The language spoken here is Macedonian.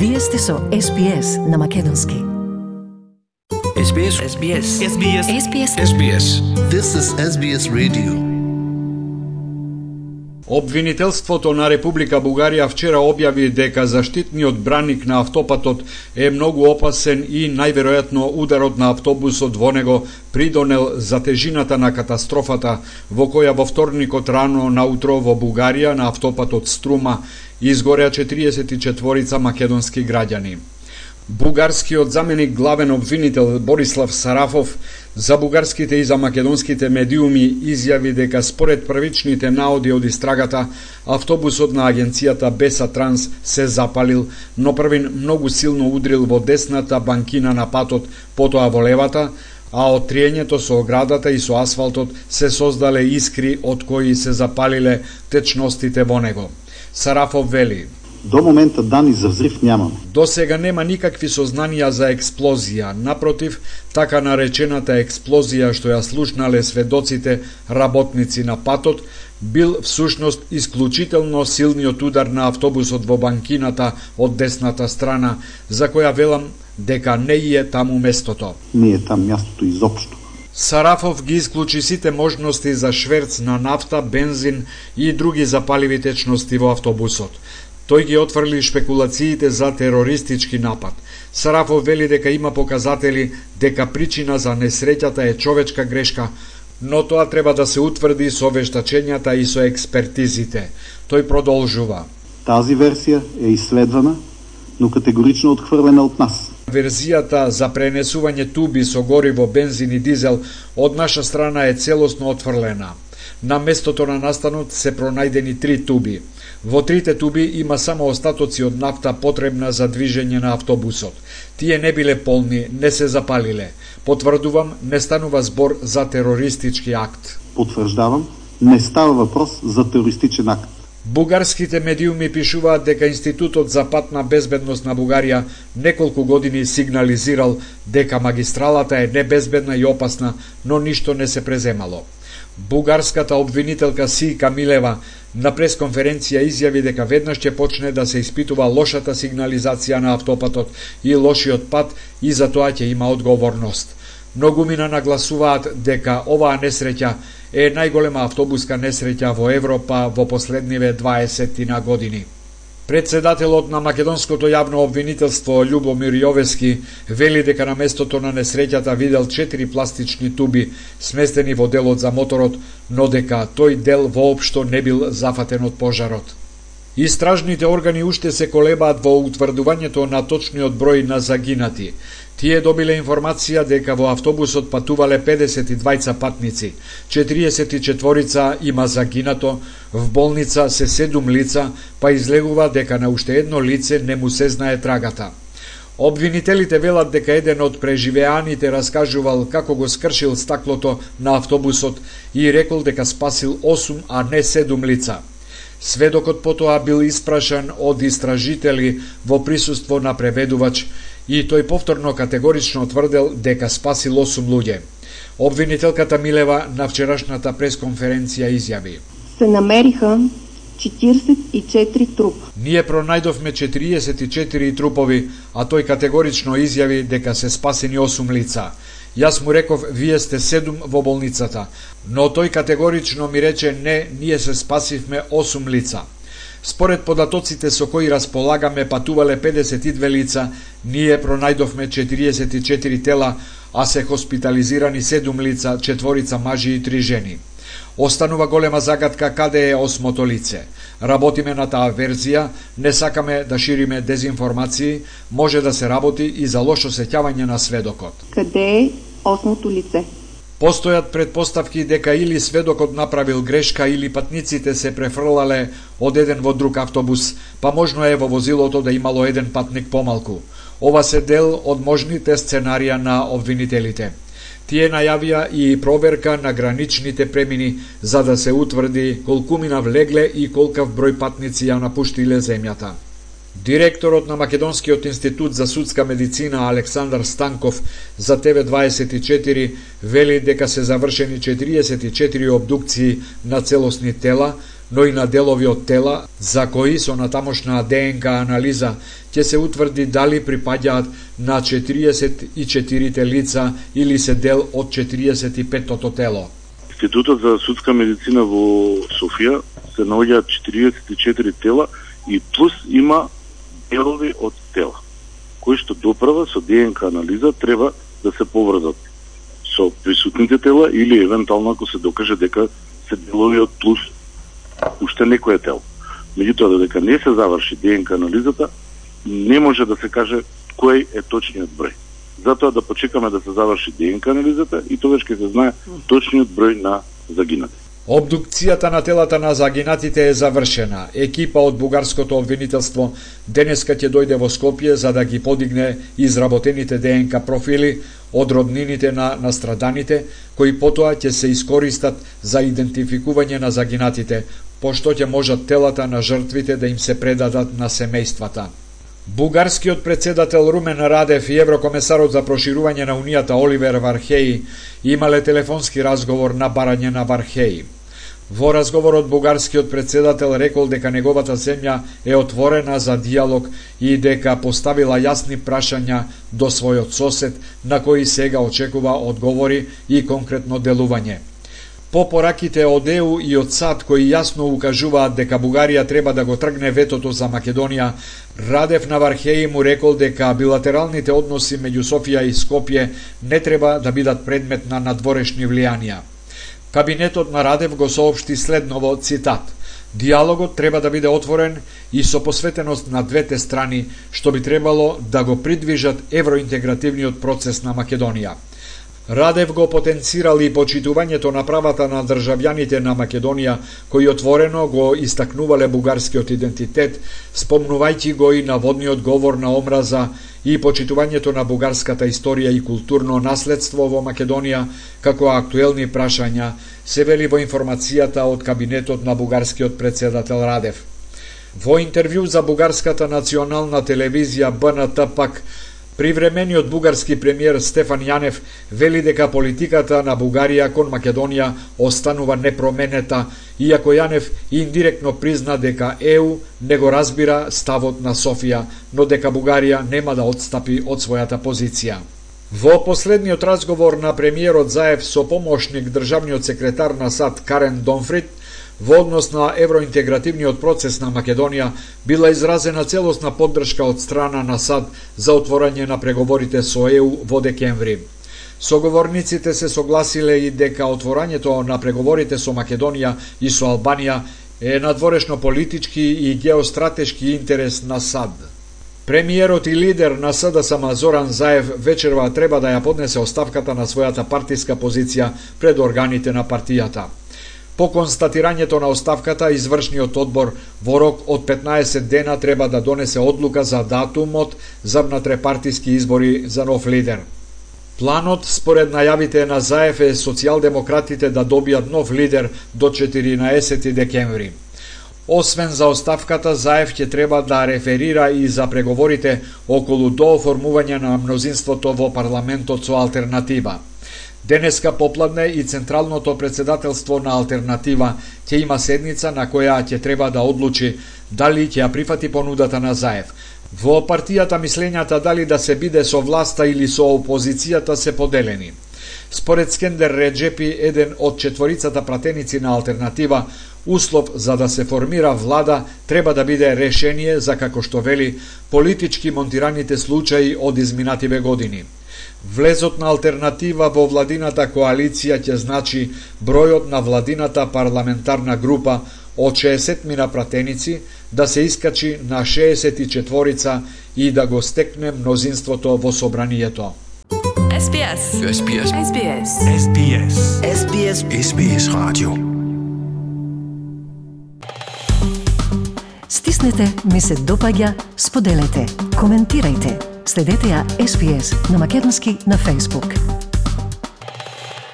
Вие сте со SBS на македонски. SBS. This is SBS Radio. Обвинителството на Република Бугарија вчера објави дека заштитниот браник на автопатот е многу опасен и најверојатно ударот на автобусот во него придонел за тежината на катастрофата во која во вторникот рано наутро во Бугарија на автопатот Струма изгореа 44 македонски граѓани. Бугарскиот заменик главен обвинител Борислав Сарафов за бугарските и за македонските медиуми изјави дека според првичните наоди од истрагата, автобусот на агенцијата Беса Транс се запалил, но првин многу силно удрил во десната банкина на патот, потоа во левата, а од триењето со оградата и со асфалтот се создале искри од кои се запалиле течностите во него. Сарафов вели: До момента данни за взрив нямаме. До сега нема никакви сознанија за експлозија. Напротив, така наречената експлозија што ја слушнале сведоците работници на патот, бил всушност исклучително силниот удар на автобусот во банкината од десната страна, за која велам дека не е таму местото. Не е там мястото изопшто. Сарафов ги исклучи сите можности за шверц на нафта, бензин и други запаливи течности во автобусот. Тој ги отврли шпекулациите за терористички напад. Сарафов вели дека има показатели дека причина за несреќата е човечка грешка, но тоа треба да се утврди со вештачењата и со експертизите. Тој продолжува: Тази версија е исследвана, но категорично отхврлена од нас. Верзијата за пренесување туби со гориво, бензин и дизел од наша страна е целосно отфрлена. На местото на настанот се пронајдени 3 туби. Во 3 туби има само остатоци од нафта потребна за движење на автобусот. Тие не биле полни, не се запалиле. Потврдувам, не станува збор за терористички акт. Потврдавам, не става въпрос за терористичен акт. Бугарските медиуми пишуваат дека Институтот за патна безбедност на Бугарија неколку години сигнализирал дека магистралата е небезбедна и опасна, но ништо не се преземало. Бугарската обвинителка Сијка Милева на пресконференција изјави дека веднаш ќе почне да се испитува лошата сигнализација на автопатот и лошиот пат и за тоа ќе има одговорност. Многумина нагласуваат дека оваа несреќа е најголема автобуска несреќа во Европа во последниве 20 години. Председателот на македонското јавно обвинителство Љубомир Јовески вели дека на местото на несреќата видел 4 пластични туби сместени во делот за моторот, но дека тој дел воопшто не бил зафатен од пожарот. Истражните органи уште се колебаат во утврдувањето на точниот број на загинати. Тие добиле информација дека во автобусот патувале 52 патници, 44 има загинато, в болница се 7 лица, па излегува дека на уште едно лице не му се знае трагата. Обвинителите велат дека еден од преживеаните раскажувал како го скршил стаклото на автобусот и рекол дека спасил 8, а не 7 лица. Сведокот потоа бил испрашан од истражители во присуство на преведувач и тој повторно категорично тврдел дека спасил 8 луѓе. Обвинителката Милева на вчерашната пресконференција изјави: Се намериха 44 трупа. Ние пронајдовме 44 трупови, а тој категорично изјави дека се спасени 8 лица. Јас му реков, вие сте 7 во болницата, но тој категорично ми рече, не, ние се спасивме 8 лица. Според податоците со кои располагаме патувале 52 лица, ние пронајдовме 44 тела, а се хоспитализирани 7 лица, 4 мажи и 3 жени. Останува голема загадка каде е 8-то лице. Работиме на таа верзија, не сакаме да шириме дезинформации, може да се работи и за лошо сеќавање на сведокот. Каде е 8-то лице? Постојат предпоставки дека или сведокот направил грешка или патниците се префрлале од еден во друг автобус, па можно е во возилото да имало еден патник помалку. Ова се дел од можните сценарија на обвинителите. Тие најавија и проверка на граничните премини за да се утврди колкумина влегле и колкав број патници ја напуштиле земјата. Директорот на Македонскиот институт за судска медицина Александар Станков за TV24 вели дека се завршени 44 обдукции на целосни тела, но и на делови од тела, за кои со натамошна ДНК анализа ќе се утврди дали припаѓаат на 44 лица или се дел од 45-тото тело. Институтот за судска медицина во Софија се наоѓаат 44 тела и плюс има делови од тела, кои што доправа со ДНК анализа треба да се поврзат со присутните тела или евентуално ако се докаже дека се делови од плюс уште некое тело. Меѓутоа, додека не се заврши ДНК анализата, не може да се каже кој е точниот број. Затоа да почекаме да се заврши ДНК анализата и тогаш ќе се знае точниот број на загинати. Обдукцијата на телата на загинатите е завршена. Екипа од бугарското обвинителство денеска ќе дојде во Скопје за да ги подигне изработените ДНК профили од роднините на настраданите, кои потоа ќе се искористат за идентификување на загинатите, пошто ќе можат телата на жртвите да им се предадат на семејствата. Бугарскиот председател Румен Радев и еврокомесарот за проширување на Унијата Оливер Вархеи имале телефонски разговор на барање на Вархеи. Во разговорот бугарскиот председател рекол дека неговата земја е отворена за диалог и дека поставила јасни прашања до својот сосед на кои сега очекува одговори и конкретно делување. По пораките од ЕУ и од САД кои јасно укажуваат дека Бугарија треба да го тргне ветото за Македонија, Радев на Вархеи му рекол дека билатералните односи меѓу Софија и Скопје не треба да бидат предмет на надворешни влијанија. Кабинетот на Радев го соопшти следново, цитат: "Диалогот треба да биде отворен и со посветеност на двете страни, што би требало да го придвижат евроинтегративниот процес на Македонија." Радев го потенцирал и почитувањето на правата на државјаните на Македонија, кои отворено го истакнувале бугарскиот идентитет, спомнувајќи го и наводниот говор на омраза и почитувањето на бугарската историја и културно наследство во Македонија како актуелни прашања, се вели во информацијата од кабинетот на бугарскиот председател Радев. Во интервју за бугарската национална телевизија БНТ пак, привремениот бугарски премиер Стефан Јанев вели дека политиката на Бугарија кон Македонија останува непроменета, иако Јанев индиректно призна дека ЕУ не го разбира ставот на Софија, но дека Бугарија нема да отстапи од својата позиција. Во последниот разговор на премиерот заев со помошник државниот секретар на САД Карен Донфрид, во однос на евроинтегративниот процес на Македонија била изразена целосна поддршка од страна на САД за отворање на преговорите со ЕУ во декември. Соговорниците се согласиле и дека отворањето на преговорите со Македонија и со Албанија е надворешно политички и геостратешки интерес на САД. Премиерот и лидер на СДСМ Зоран Заев вечерва треба да ја поднесе оставката на својата партиска позиција пред органите на партијата. По констатирањето на оставката, извршниот одбор во рок од 15 дена треба да донесе одлука за датумот за внатрепартиски избори за нов лидер. Планот, според најавите на Заев, е социјалдемократите да добијат нов лидер до 14 декември. Освен за оставката, Заев ќе треба да реферира и за преговорите околу дооформување на мнозинството во парламентот со алтернатива. Денеска попладне и Централното председателство на Алтернатива ќе има седница на која ќе треба да одлучи дали ќе ја прифати понудата на Заев. Во партијата мислењата дали да се биде со власта или со опозицијата се поделени. Според Скендер Реджепи, еден од четворицата пратеници на Алтернатива, услов за да се формира влада треба да биде решение за, како што вели, политички монтираните случаи од изминативе години. Влезот на Алтернатива во владината коалиција ќе значи бројот на владината парламентарна група од 60 пратеници да се искачи на 64 и да го стекне мнозинството во собранието. SBS. SBS. SBS. SBS. SBS. SBS Radio. Стиснете, ми се допаѓа, споделете, коментирајте. Следете ја SBS на македонски на Facebook.